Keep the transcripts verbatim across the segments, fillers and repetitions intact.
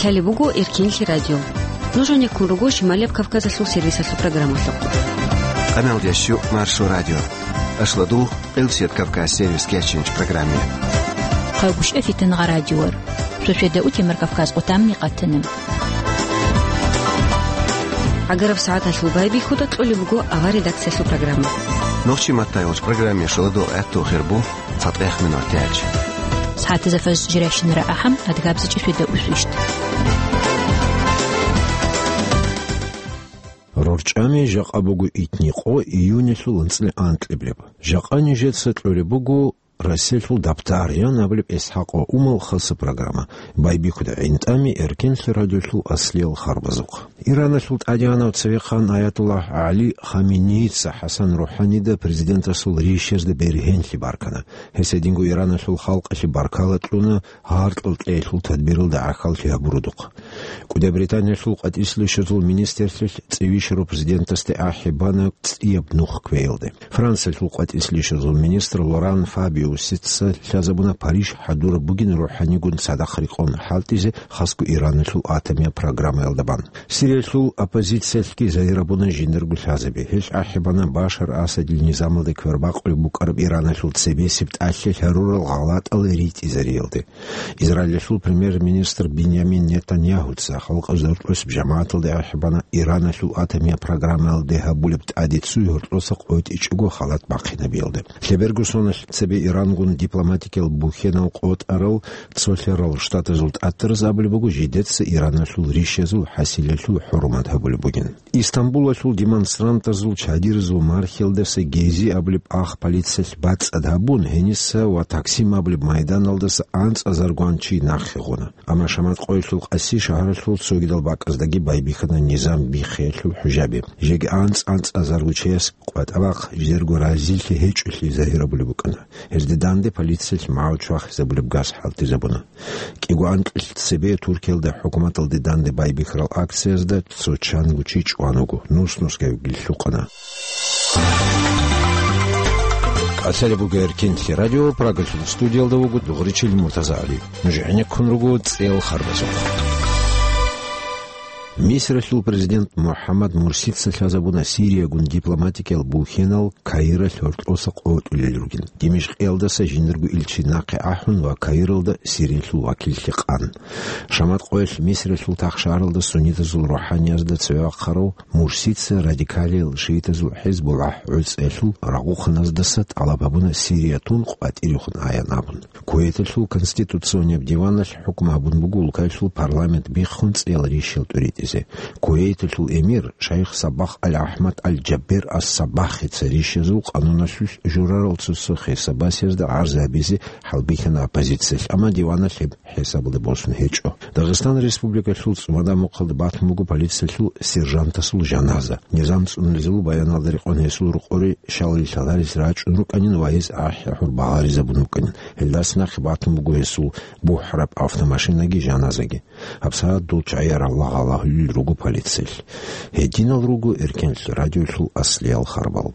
Лъалеб буго Эркенлъи радио. Нуж гьанеккун руго Шималияб Кавказалъул сервисалъул программалъухъ. Къаналдияс щу Маршо радио. Ашладул, Къилсият Кавказ сервис кечинч программе. Хъагушев Фитнагъа радиор. Сосиеда Утемир Кавказ къутамни къатана. ГӀагараб сагӀаталъул байбихьуда кьолеб буго авар редакциялъул программа. Нохчи маттайолч программе шаладул гӀатту хирбу. ЦатӀехъ минут тяч. СагӀатазда фаз жиращинара ахӀам, адгабзичӀи светда усвищт. РорчӀами жакъа буго итни къо июнилъул анцӀила анкьиблеб. Жакъа нижеца кьолеб буго Россиялъул дабтар ян абулеб ИсхӀакъ ва Умал хаса программа. Байбихьуда гӀинтӀами Эркенлъи радиолъул аслиял харбазухъ. Ираналъул тӀадегӀанав цевехъан Аятуллагь ГӀали Хаменеица ХӀасан РухӀанида президентасул ришазда бергьенлъи баркана. Гьес гьединго Ираналъул халкъалъе баркала кьуна гьаркьал кьеялъул тадбиралда гӀахьаллъи гьабурудухъ. КӀудияб Британиялъул къватӀислъи щвезул министрлъилъ цӀивищарав президентасде ахӀи бана цӀияб нух кквеялде. Франциялъул къватӀислъи щвезул министр Лоран Фабиусица лъазабуна Париж хӀадураб бугин рухӀанигун цадахъ рекъон хӀалтӀизе, хасго Ираналъул атомияб программаялда бан. Сириялъул оппозициялъги загьир гьабуна жиндирго лъазаби. Гьелъ ахӀи бана Башар Асадил низамалда квербакъулеб букӀараб Ираналъул цебесеб тӀалъи лъарурал гъалатӀал ритӀизариялде. Израилалъул премьер-министр Биньямин Нетаньягьуца халкъазда гьоркьосеб жамагӀаталде ахӀи бана Ираналъул атомияб программаялде гьабулеб тӀаде цуй гьоркьоса къотӀичӀого халат бахъинабиялде. Лъеберго соналъ цебе Ирангун дипломатикиял бухьенал къотӀарал Цолъарал Штатазул тӀатараз абулеб буго, жидеца Ираналъул ришазул хӀасилалъул хӀурмат гьабулеб бугин. Истамбулалъул демонстрантазул чадиразул мархиялдаса Гези абулеб ах полициялъ бацӀцӀад гьабун, гьениса ва Таксим абулеб майданалдаса анцӀазаргун чи нахъе гъуна. Амма Шамат къоялъул Къаси шагьаралъул цогидал бакӀаздаги байбихьана низам биххиялъул хӀужаби. Жеги анцӀ-анцӀазарго чияс къватӀа-бахъ жидерго разилъи гьечӀолъи загьир гьабулеб букӀана. Гьезде данде полициялъ магӀу чвахизабулеб газ хӀалтӀизабуна. КӀиго анкьил цебе Туркиялда хӀукуматалде данде байбихьарал акциязда цо чанго чи чӀван вуго, нус-нусги гьелъухъана. Лъалеб буго Эркенлъи радио, Прагалъул студиялда вуго дугӀричил МуртазагӀалиев. Нуж гӀенеккун руго цӀел харбазухъ. Мисралъул президент МухӀаммад Мурсица лъазабуна Сириягун дипломатикиял бухьенал Каиралъ гьоркьоса къотӀулел ругин. Димишкъиялдаса жиндирго илчи нахъе ахӀун ва Каиралда Сириялъул вакиллъи къан. Шамат къоялъ Мисралъул тахшаралда суннитазул рухӀаниязда цеве вахъарав Мурсица радикалиял шиитазул ХӀизбуллагь гӀуцӀиялъул рагъухъаназдаса тӀалаб гьабуна Сирия тун къватӀирехун аян абун. Кувейталъул конституционияб диваналъ хӀукму гьабун буго улкаялъул парламент биххун цӀиял ришал тӀуритӀизе. Кувейталъул эмир шайх Саббах аль-АхӀмад аль-Жаббер ас-Саббахица ришазул къануналъулъ журарал цо-цо хисабасиязда гӀарз гьабизе хӀалбихьана оппозициялъ, амма диваналъ гьеб хӀисабалде босун гьечӀо. Дагъистан Республикалъул ЦӀумада мухъалда батун буго полициялъул сержантасул жаназа. Низам цӀунулезул баяналда рекъон гьесул рукъори щалил лъаларес рачӀун рукӀанин ва гьес ахӀи-ахӀур багъаризабун букӀанин. Гьелдаса нахъе батун буго гьесул бухӀараб автомашинаги жаназаги. ГьабсагӀат дол чагӀи раллагь-гъаллагьулел руго полициялъ. Гьединал руго Эркенлъи радиолъул аслиял харбал.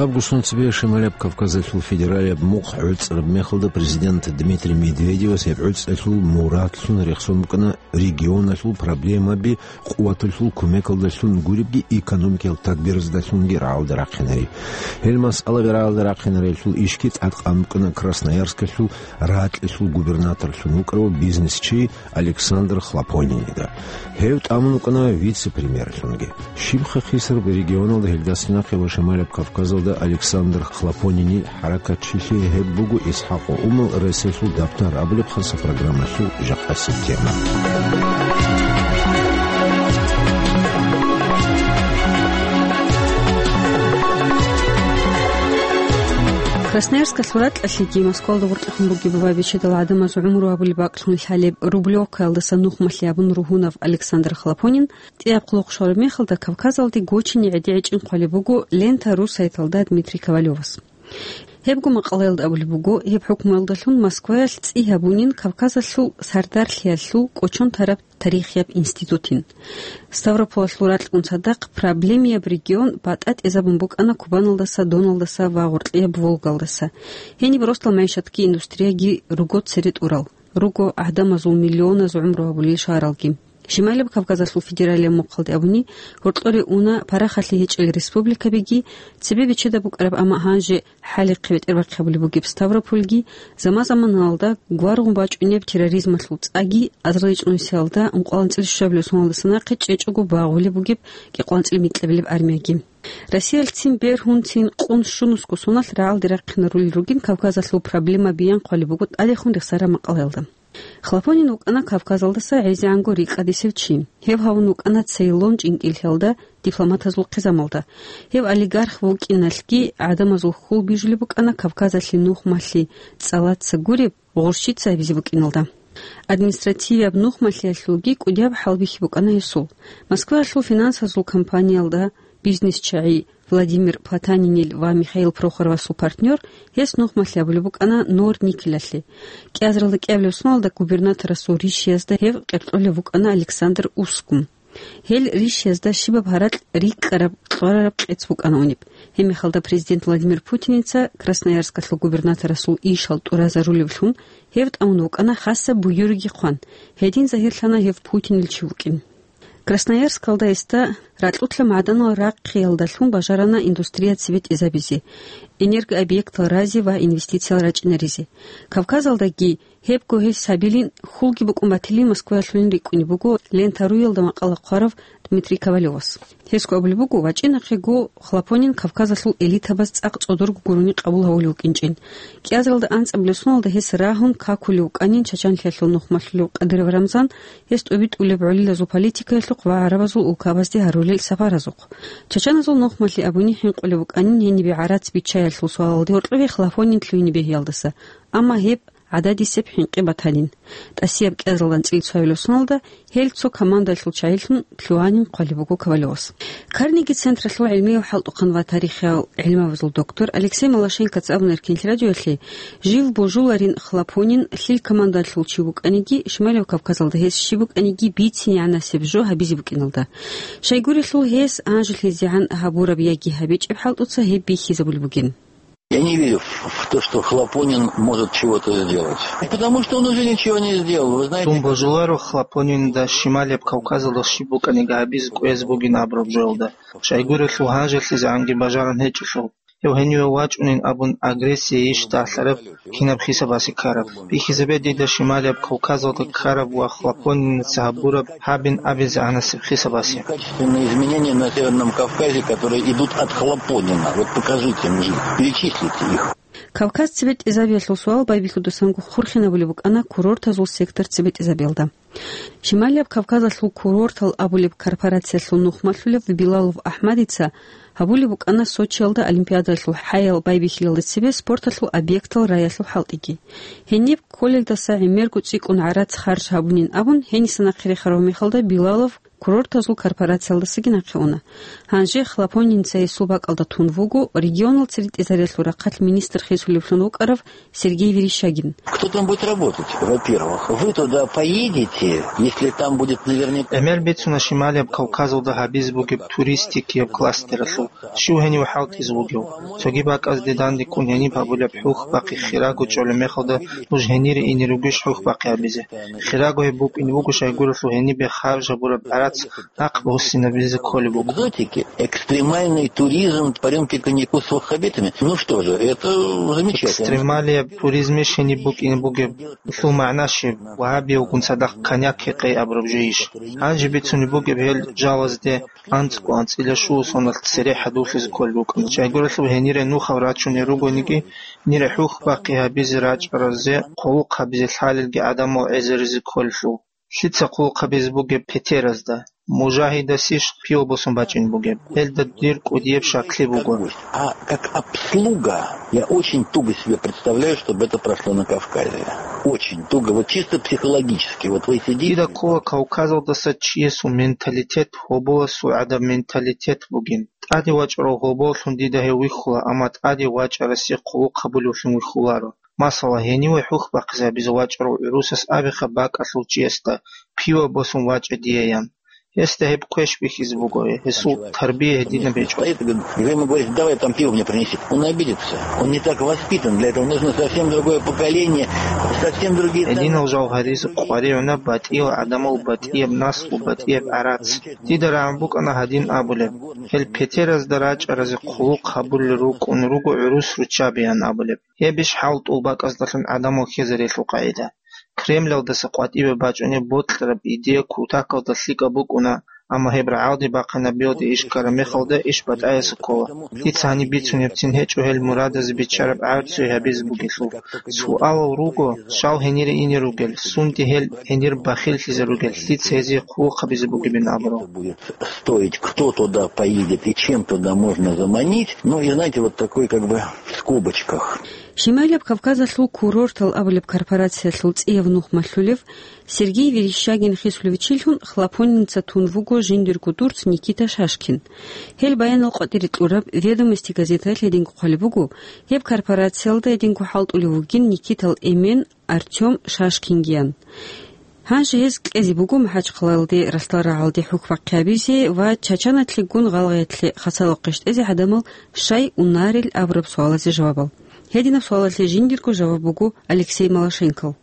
Лъабго сунцабе Шималаб Кавказалъул федералияб мухъ гӀуцӀараб мехалда президент Дмитрий Медведевас гьеб гӀуцӀалъул мурадлъун рехсон букӀана регионалъул проблемаби къуваталъул кумекалдалъун гуребги, экономикиял тадбираздалъунги рагӀалда рахъинари. Гьел масъалаби рагӀалда рахъинарелъул ишги тӀадкъан букӀана Красноярскалъул ракьалъул губернаторлъун вукӀарав бизнесчи Александр Хлопонинида. Гьев тӀамун вукӀана вице-премьерлъунги. Щибха хисараб регионалда гьелдаса нахъе ва Шималаб Кавказалда Александр Хлопонини хӀаракатчилъи гьеб буго ИсхӀакъ Умал Россиялъул дабтар абулеб хаса программалъул жакъасеб тема. Красноярскалъул ракьалъеги Москвалда гъоркьехун бугеб ва бичедал гӀадамаз гӀумру гьабулеб бакӀлъун лъалеб Рублевкаялдаса нухмалъи абун ругьунав Александр Хлопонин ТӀияб къулухъ щвараб мехалда Кавказалде гочине гӀедегӀи чӀинхъулеб буго Лента ру сайталда Дмитрий Ковалевас. Гьебго макъалаялда абулеб буго, гьеб хӀукмуялдалъун Москваялъ цӀи гьабунин Кавказалъул сардарлъиялъул кӀочон тараб тарихияб институтин. Ставрополалъул ракьун цадахъ проблемияб регион батӀа тӀезабун букӀана Кубаналдаса, Доналдаса ва гъоркьияб Волгалдаса. Гьениб росдал магӀишатги индустрияги руго цере тӀурал, руго гӀадамазул миллионаз гӀумру гьабулел шагьаралги. Шималияб Кавказалъул федералияб мухъалде абуни, гьоркьоре уна парахалъи гьечӀел республикабиги, цебе бечедаб букӀараб, амма гьанже хӀалихъе бетӀербахъи гьабулеб бугеб Ставропольги, заман-заманалда гваргъун бачӀунеб терроризмалъул цӀаги, азарилчӀунусиялда ункъоялда анцӀила щуабилеб соналдаса нахъе чӀечӀого багъулеб бугеб кӀикъоялда анцӀила микьабилеб армияги. Россиялъцин бергьунцин къун щунусго соналъ рагӀалде рахъинарулел ругин Кавказалъул проблема биян хъвалеб буго тӀадехун рехсараб макъалаялда. Хлопонин вукӀана Кавказалдаса гӀезегӀанго рикӀкӀадисев чи. Гьев гьавун вукӀана Цейлон чӀинкӀиллъиялда дипломатазул хъизамалда. Гьев олигарх вукӀиналъги гӀадамазул хьул бижулеб букӀана Кавказалъе нухмалъи цӀалаца гуреб гъурщица гьабизе букӀиналда. Административияб нухмалъиялъулги кӀудияб хӀалбихьи букӀана гьесул. Москваялъул финансазул компаниялда бизнесчагӀи Владимир Потанинил ва Михаил Прохоровасул партнер, гьес нухмалъи абулеб букӀана Нор-Никелалъе. КӀиазаралда кӀиабилеб соналда губернаторасул ришиязда гьев къеркьолев вукӀана Александр Ускум. Гьел ришиязда щибаб гьаракь рикӀкӀараб кьварараб къец букӀана унеб. Гьеб мехалда президент Владимир Путиница Красноярскалъул губернаторасул ишал тӀуразарулевлъун гьев тӀамун вукӀана хасаб буюрги хъван. Гьедин загьирлъана гьев Путинил чи вукӀин. Красноярскалда гьесда ракьулъа магӀданал рахъиялдалъун бажарана индустрия цебетӀезабизе, энергообъектал разе ва инвестициял рачӀинаризе. Кавказалдаги гьебго гьес гьабилин хьулги букӀун батилин Москваялъулин рикӀкӀунеб буго Лента ру-ялда макъала хъварав Дмитрий Ковалевас. Гьесго абулеб буго, вачӀинахъего Хлопонин Кавказалъул элитабаз цӀакъ цӀодорго гурони къабул гьавулев вукӀинчӀин. КӀиазаралда анцӀабилеб соналда гьес рагьун какулев вукӀанин чачанлъиялъул нухмалъулев Кадыров Рамзан, гьес тӀобитӀулеб гӀолилазул политикаялъухъ ва гӀарабазул улкабазде гьарулел сапаразухъ. Чачаназул нухмалъи абуни хӀинкъулеб букӀанин гьенибе гӀарац биччаялъул суалалде гьоркьове Хлопонин лъугьине бегьиялдаса, амма гьеб гӀададисеб хӀинкъи батанин. ТӀасияб кӀиазаралда анцӀила цоабилеб соналда гьел цо командалъул чагӀилъун лъугьанин хъвалеб буго Ковалевас. Карнеги централъул гӀилмияв хӀалтӀухъан ва тарихиял гӀилмабазул доктор Алексей Малашенкоца абуна Эркенлъи радиоялъе, жив божуларин Хлопонин лъил командалъул чи вукӀаниги, Шималияб Кавказалда гьес щиб букӀаниги бицин гӀанасеб жо гьабизе букӀиналда. Щайгурелъул гьес гьанжелъизегӀан гьабураб яги гьабичӀеб хӀалтӀуца гьеб бихьизабулеб бугин. Я не верю в, в то, что Хлопонин может чего-то сделать. Потому что он уже ничего не сделал. Вы знаете, Дун божуларо Хлопонинда Шималияб Кавказалда щиб букӀаниги гьабизе кӀвезе бугин абураб жоялда. Щайгурелъул гьанжелъизегӀанги бажарун гьечӀелъул. Гьев гьениве вачӀунин абун агрессия ищ дагьлъараб кинаб хисабасе ккараб. Бихьизабе дида Шималияб Кавказалда ккараб ва Хлопонинаца гьабураб гьабин абизе гӀанасеб хисабасе. Качественные изменения на Северном Кавказе, которые идут от Хлопонина. Вот покажите мне их, перечислите их. Кавказ цебетӀезабиялъул суал байбихьудасанго хурхинабулеб букӀана курортазул сектор цебетӀезабиялда. Шималияб Кавказалъул курортал абулеб корпорациялъул нухмалъулев Билалов АхӀмадица гьабулеб букӀана Сочиялда Олимпиадалъул хӀаял байбихьилалда цебе спорталъул объектал раялъул хӀалтӀиги. Гьениб кколелдаса гӀемерго цӀикӀкӀун гӀарац харж гьабунин абун, гьениса нахъе рехарав мехалда Билалов курортазул корпорациялдасаги нахъе уна. Гьанже Хлопонинца гьесул бакӀалда тун вуго регионал церекӀизариялъул рахъалъ министр хисулевлъун вукӀарав Сергей Верещагин. Кто там будет работать? Во-первых, вы туда поедете, если там будет наверняка... ГӀемер бицуна Шималияб Кавказалда гьабизе бугеб туристикияб кластералъул щив гьенив хӀалтӀизе вугев. Цоги бакӀазде дандеккун гьениб гьабулеб хӀухьбахъи хирагу чӀолеб мехалда нуж гьенире ине ругищ хӀухьбахъи гьабизе? Хирагу гьеб букӀине буго, щайгурелъул гьенибе харж гьабураб гӀарац нахъ буссинабизе кколеб буго. Экзотики, экстремальный туризм, парёнки коньяку с ваххабитами. Ну что же, это замечательно. Экстремалияб туризмищ гьениб букӀине бугеб? Гьелъул магӀна щиб? Вагьабиявгун цадахъ коньяк гьекъей абураб жойищ? Гьанже бицунеб бугеб гьел жалазде анцӀго анцӀила щуго соналъ цере хӀадурлъизе кколел рукӀана. Щайгурелъул гьенире нухал рачунел ругониги, гьенире хӀухьбахъи гьабизе рачӀаразе, хъулухъ гьабизе лъалелги гӀадамал гӀезаризе кколелъул. Лъица хъулухъ гьабизе бугеб петеразда? мужагьидасищ пиво босун бачӀин бугеб. Гьелда дир кӀудияб шаклъи буго. А как обслуга, я очень туго себе представляю, чтобы это прошло на Кавказе. Очень туго, вот чисто психологически. Вот вы сидите. Дида ккола Кавказалдаса чиясул менталитет гьоболасул гӀадаб менталитет бугин. ТӀаде вачӀарав гьоболлъун дида гьев вихьула, амма тӀаде вачӀарасе хъулухъ гьабулевлъун вихьуларо. Масала, гьениве хӀухь бахъизе гьабизе вачӀарав гӀурусас абиха бакӀалъул чиясда: «Пиво босун вачӀа дие», – ян. Гьесда гьеб квеш бихьизе буго, гьесул тарбия гьединаб гьечӀо. Стоит, говорит, и вы ему говорите: «Давай там пиво мне принеси». Он обидится. Он не так воспитан. Для этого нужно совсем другое поколение, совсем другие ценности. Гьединал жал гьаризе къваригӀуна батӀиял гӀадамал, батӀияб наслу, батӀияб гӀарац. Дида рагӀун букӀана гьадин абулеб: «Гьел петеразда рачӀаразе хъулухъ гьабулел рукӀун руго гӀурус руччаби», – ян абулеб. Гьебищ хӀалтӀул бакӀаздалъун гӀадамал хьезарелъул къагӀида? Кремлалдаса къватӀибе бачӀунеб бокьараб идея кутакалда лъикӀаб букӀуна, амма гьеб рагӀалде бахъинаб йоде иш ккараб мехалда иш батӀаяса ккола. Дица гьаниб бицунебцин гьечӀо гьел мурадазе биччараб гӀарцуе гьабизе бугелъул. Суалал руго, щал гьенире ине ругел, сунде гьел гьенир бахиллъизе ругел, дица гьезие хъулухъ гьабизе бугебин абурал. Стоить, кто туда поедет и чем туда можно заманить. Ну и, знаете, вот такой как бы в скобочках. Шимайлаб Кавказалъул курортал абулеб корпорациялъул цӀияв нух малъулев Сергей Верещагин хисулев чилъун Хлопонница тун вуго жиндирго дурц Никита Шашкин. Гьел баянал къватӀире кьураб «Ведомости» газетаялъ гьединго хъвалеб буго, гьеб корпорациялда гьединго хӀалтӀулев вугин Никитал эмен Артём Шашкингиян. Гьанже гьез кьезе буго МахӀачхъалалде ралъдал рагӀалде хӀухь бахъи гьабизе ва Чачаналъегун гъалгъиялъе хасало къищтӀезе гӀадамал щай унарел абураб суалазе жавабал. Гьединаб суалалъе жиндирго жаваб буго Алексей Малашенкол.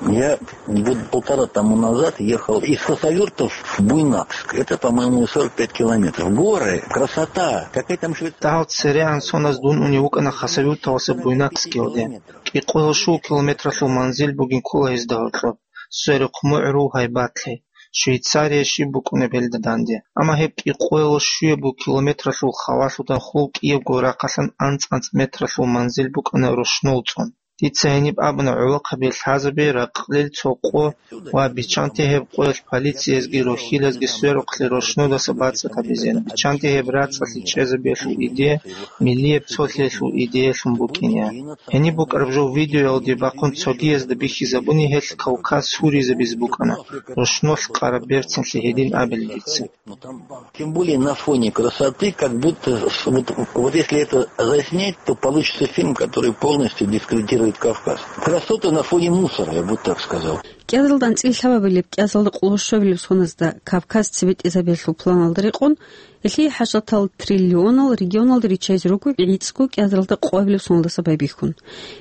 Я год полтора тому назад ехал из Хасавюрта в Буйнакск. Это, по-моему, сорок пять километров. Горы, красота, какая там Швейцария. Дагьал церегӀан соназ дун унев вукӀана Хасавюрталаса Буйнакскиялде. КӀикъоялъул километралъул манзил бугин ккола гьезда гьоркьоб, сверухъ мугӀрул гьайбатлъи, Швейцария щиб букӀунеб гьелда данде. Амма гьеб кӀикъоялъул щуяб километралъул халалъуда хул кӀиябго рахъалъан анцӀ-анцӀ метралъул манзил букӀана рушнул цӀун. Дица гьениб абуна гӀолохъаби лъазабе ракълил цо къо ва биччанте гьеб къоялъ полициязги рохьилазги сверухълъи рушнудаса бацӀцӀад гьабизеян, биччанте гьеб рацӀцӀалъи чӀезабиялъул идея миллияб цолъиялъул идеялъун букӀине. Гьениб букӀараб жо видеоялде бахъун цогиязда бихьизабуни гьелъ Кавказ гьуризабизе букӀана, рушнолъ къараб берцинлъи гьедин абилин дица. Ну, там, тем более на фоне красоты, как будто с-, вот, вот если это заснять, то получится фильм, который полностью дискредитирует Кавказ. Красота на фоне мусора, я бы так сказал. КӀиазалда анцӀила лъабабилеб кӀиазалда къоло щуабилеб соназда Кавказ цебетӀезабиялъул планалда рекъон, гьелъие хӀажатал триллионал регионалда риччайзе руго гӀицӀго кӀиазалда къоабилеб соналдаса байбихьун.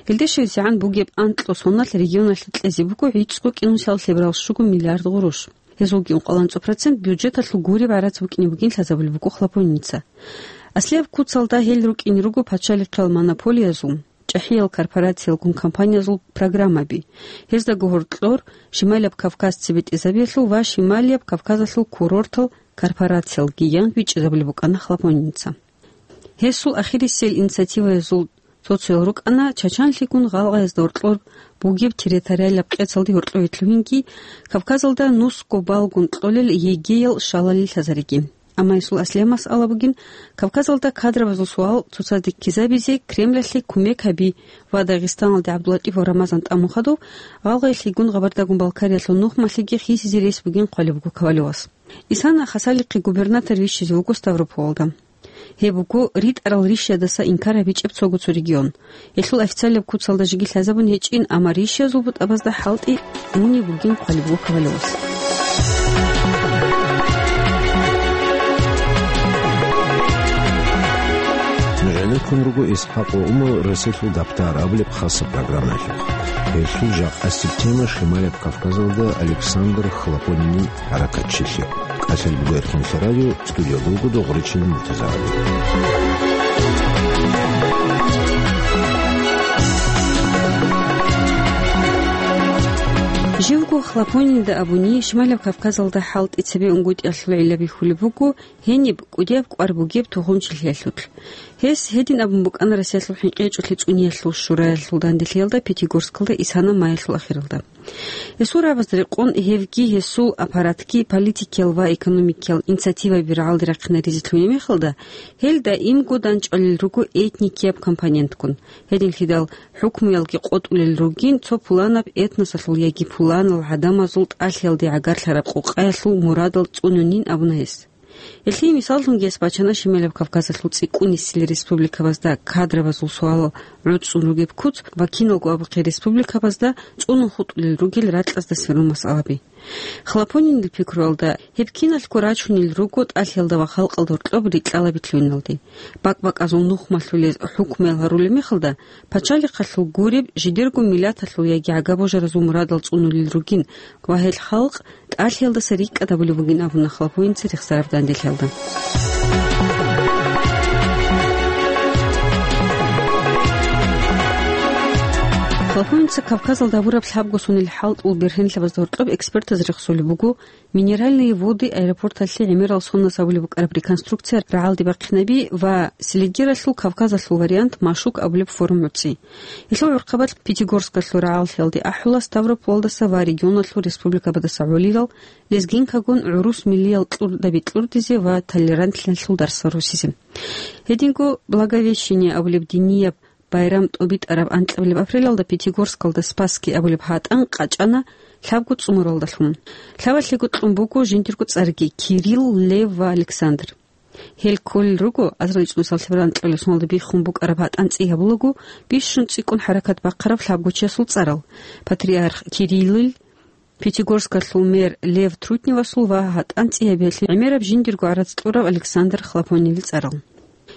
Гьелде щвезегӀан бугеб анкьго соналъ регионалъе кьезе буго гӀицӀго кӀинусиялда лъеберал щуго миллиард гъурущ. Гьезулги ункъоялда анцӀго процент бюджеталъул гуреб гӀарац букӀине бугин лъазабулеб буго Хлопонница. Аслияб куцалда гьел рукӀине руго пачалихъиял монополиязул, чӀахӀиял корпорациялгун компаниязул программаби. Гьездаго гьоркьор Шималияб Кавказ цебетӀезабиялъул ва Шималияб Кавказалъул курортал корпорациялги ян бичӀчӀизабулеб букӀана Хлопонница. Гьесул ахирисел инициативаязул цо-цоял рукӀана Чачанлъигун гъалгъаязда гьоркьор бугеб территориалаб къецалде гьоркьове лъугьинги, Кавказалда нусго балгун кьолел ЕГЭ-ял щалали лъазариги. Амма гьесул аслияб масъала бугин Кавказалда кадрабазул суал цоцазде ккезабизе Кремлалъе кумек гьаби ва Дагъистаналде ГӀабдуллатӀипов Рамазан тӀамун хадув гъалгъаялъигун Къабардагун-Балкариялъул нухмалъиги хисизе рес бугин хъвалеб буго Ковалевас. Исана Хасавюрталъе губернатор вищизе вуго Ставрополалда. Гьеб буго ритӀарал ришиядаса инкар гьабичӀеб цого цо регион. Гьелъул официалияб куцалда жеги лъазабун гьечӀин, амма ришиязул бутӀабазда хӀалтӀи унеб бугин хъвалеб буго Ковалевас. ГӀенеккун руго ИсхӀакъ ва Умал Расилъул даптар абулеб хасаб программаялъухъ. Гьелъул жакъасеб тема Шималияб Кавказалда Александр Хлопонинил хӀаракатчилъи. КӀалъал буго Эрханлъи радио, студиялда вуго Догъричилан Муртазагьали. Живго Хлопонинда абуни, Шималияб Кавказалда хӀалтӀи цебе унгутӀиялъул гӀилла бихьулеб буго гьениб кӀудияб кӀвар бугеб тухумчилъиялъулъ. Гьес гьедин абун букӀана Россиялъул хӀинкъи гьечӀолъи цӀуниялъул шураялъул данделъиялда Пятигорскалда Исана майялъул ахиралда. Гьесул рагӀабазда рекъон гьевги гьесул аппаратги политикиял ва экономикиял инициативаби рагӀалде рахъинаризе лъугьинеб мехалда, гьел даимго данчӀвалел руго этникияб компонентгун. Гьединлъидал хӀукмуялги къотӀулел ругин цо пуланаб этносалъул яги пуланал гӀадамазул тӀалъиялде гӀагарлъараб къукъаялъул мурадал цӀунунин абуна гьес. Гьелъие мисаллъунги гьес бачана Шималаб Кавказалъул цӀикӀкӀунисел республикабазда кадрабазул суалал гӀуцӀцӀун ругеб куц ва киналго абухъе республикабазда цӀунун хутӀулел ругел ракьазда сверун масъалаби. Хлопонинил пикруялда, гьеб киналъго рачунел руго тӀалъиялда ва халкъалда гьоркьоб рикьалаби лъугьиналде. БакӀ-бакӀазул нухмалъулез хӀукмуял гьарулеб мехалда, пачалихъалъул гуреб жидерго миллаталъул яги гӀага-божаразул мурадал цӀунулел ругин ва гьел халкъ тӀалъиялдаса рикӀкӀад гьабулеб бугин абуна Хлопонинца рехсараб данделъиялда. Хлопонинца Кавказалда гьабураб лъабго сонил хӀалтӀул бергьенлъабазда гьоркьоб экспертаз рехсолеб буго Минеральные Воды аэропорталъе гӀемерал соназ гьабулеб букӀараб реконструкция рагӀалде бахъинаби ва Селигералъул Кавказалъул вариант машук абулеб форум гӀуцӀи. Гьелъул гӀурхъабалъ Пятигорскалъул рагӀаллъиялде ахӀула Ставропольдаса ва регионалъул республикабадаса гӀолилал лезгинкагун гӀурус миллиял кьурдаби кьурдизе ва толерантлъиналъул дарсал росизе. Гьединго Благовещение абулеб динияб байрам тӀобитӀараб анкьабилеб апрелалда Пятигорскалда Спасский абулеб гьатӀан къачӀана лъабго цӀумуралдалъун. Лъабалъего кьун буго жиндирго цӀарги: Кирилл, Лев ва Александр. Гьел кколел руго азарилчӀунусалъеб анкьабилеб соналда биххун букӀараб гьатӀан цӀи гьабулаго бищун цӀикӀкӀун хӀаракат бахъараб лъабгочиясул цӀарал: патриарх Кириллил, Пятигорскалъул мэр Лев Трутневасул ва гьатӀан цӀи гьабиялъе гӀемераб жиндирго гӀарац кьурав Александр Хлопонинил цӀарал.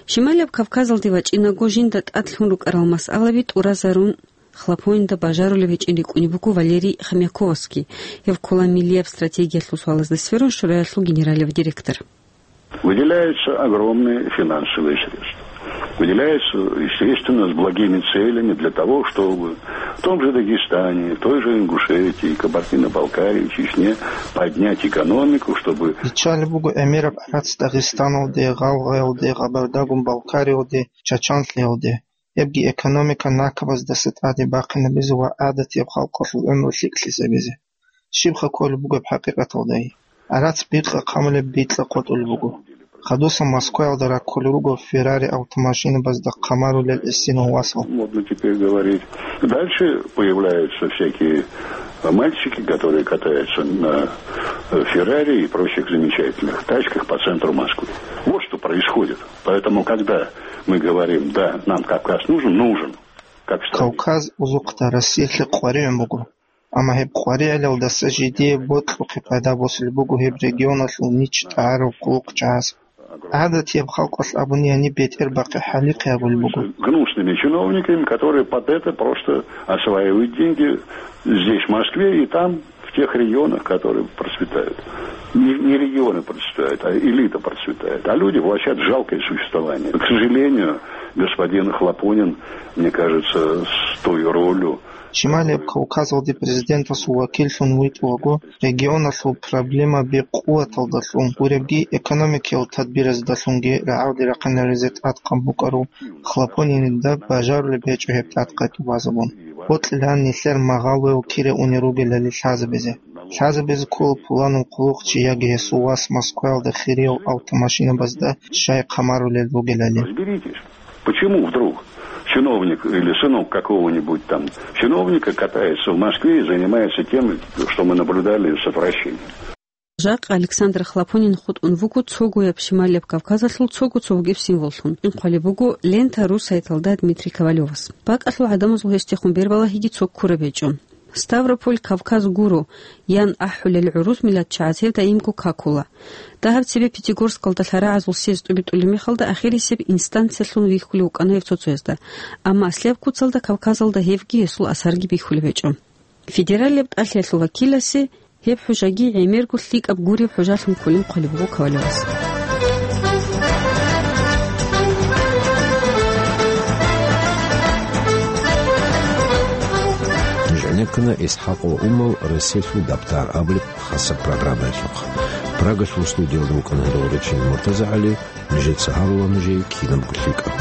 Шималияб Кавказалде вачӀинаго жинда тӀад лъун рукӀарал масъалаби тӀуразарун Хлопонинда бажарулеб гьечӀин рикӀкӀунеб буго Валерий Хомяковасги, гьев ккола миллияб стратегиялъул суалазда сверун шураялъул генералияб директор. Выделяются огромные финансовые средства. Выделяются, естественно, с благими целями для того, чтобы в том же Дагестане, в той же Ингушетии, Кабардино-Балкарии, Чечне поднять экономику, чтобы Биччалеб буго гӀемераб гӀарац Дагъистаналде, Гъалгъаялде, Гъабардагун-Балкариялде, Чачанлъиялде. Гьебги экономика накабаздаса тӀаде бахъинабизе ва гӀадатияб халкъалъул гӀумру лъикӀлъизабизе. Щибха кколеб бугеб хӀакъикъаталдай? ГӀарац бикьа хъамулеб бикьа къотӀулеб буго. Хадуса Москваялда раккулел руго Феррари автомашинабазда хъамарулел эсинал васал. Модно теперь говорить. Дальше появляются всякие мальчики, которые катаются на, э, Феррари и прочих замечательных тачках по центру Москвы. Вот что происходит. Поэтому, когда мы говорим: «Да, нам Кавказ нужен», нужен, как стране. Кавказ узухъда Россиялъе къваригӀун буго. Амма гьеб къваригӀелалдаса жидее бокьухъе пайда босулеб буго гьеб регионалъул нич тӀагӀарав хъулухъчагӀаз. ГӀадатияб халкъалъ абуни гьаниб бетӀер бахъи хӀалихъи гьабулеб буго. Гнусными чиновниками, которые под это просто осваивают деньги здесь, в Москве, и там, в тех регионах, которые процветают. Не, не регионы процветают, а элита процветает. А люди влачат жалкое существование. К сожалению, господин Хлопонин, мне кажется, с той ролью, Шималияб Кавказалде президентасул вакиллъун витӀулаго, регионалъул проблемаби къуваталдалъун гуребги, экономикиял тадбираздалъунги рагӀалде рахъинаризе тӀадкъан букӀарав Хлопонинида бажарулеб гьечӀо гьеб тӀадкъай тӀубазабун. Бокьилан нилъер магъал вев кире унел ругелали лъазабизе. Лъазабизе ккола пуланав хъулухъчи яги гьесул вас Москваялда хириял автомашинабазда щай хъамарулел ругелали. Разберитесь, почему вдруг чиновник или сынок какого-нибудь там чиновника катается в Москве и занимается тем, что мы наблюдали с отвращением. Жакъа Александр Хлопонин хутӀун вуго цогояб Шималияб Кавказалъул цого цо бугеб символлъун. Хъвалеб буго «Лента.ру» сайталда Дмитрий Ковалёвас. БакӀалъул гӀадамазул гьесдехун бербалагьиги цо ккураб гьечӀо. «Ставрополь Кавказ гуро», – ян ахӀулел гӀурус миллатчагӀаз гьев даимго какула. Дагьаб цебе Пятигорскалда лъарагӀазул съезд тӀубитӀулеб мехалда ахирисеб инстанциялъун вихьулев вукӀана гьев цо-цоязда, амма аслияб куцалда Кавказалда гьевги гьесул асарги бихьулеб гьечӀо. Федералияб тӀалъиялъул вакиласе гьеб хӀужаги гӀемерго лъикӀаб гуреб хӀужалъун кколин хъвалеб буго Ковалёвас. Ниж гӀенеккана ИсхӀакъ ва Умал «Россиялъул даптар» абулеб хасаб программаялъухъ. Прагалъул студиялда вукӀана гьедул речен Муртаза ГӀали, нижеца гьарула нужее кинабго лъикӀаб.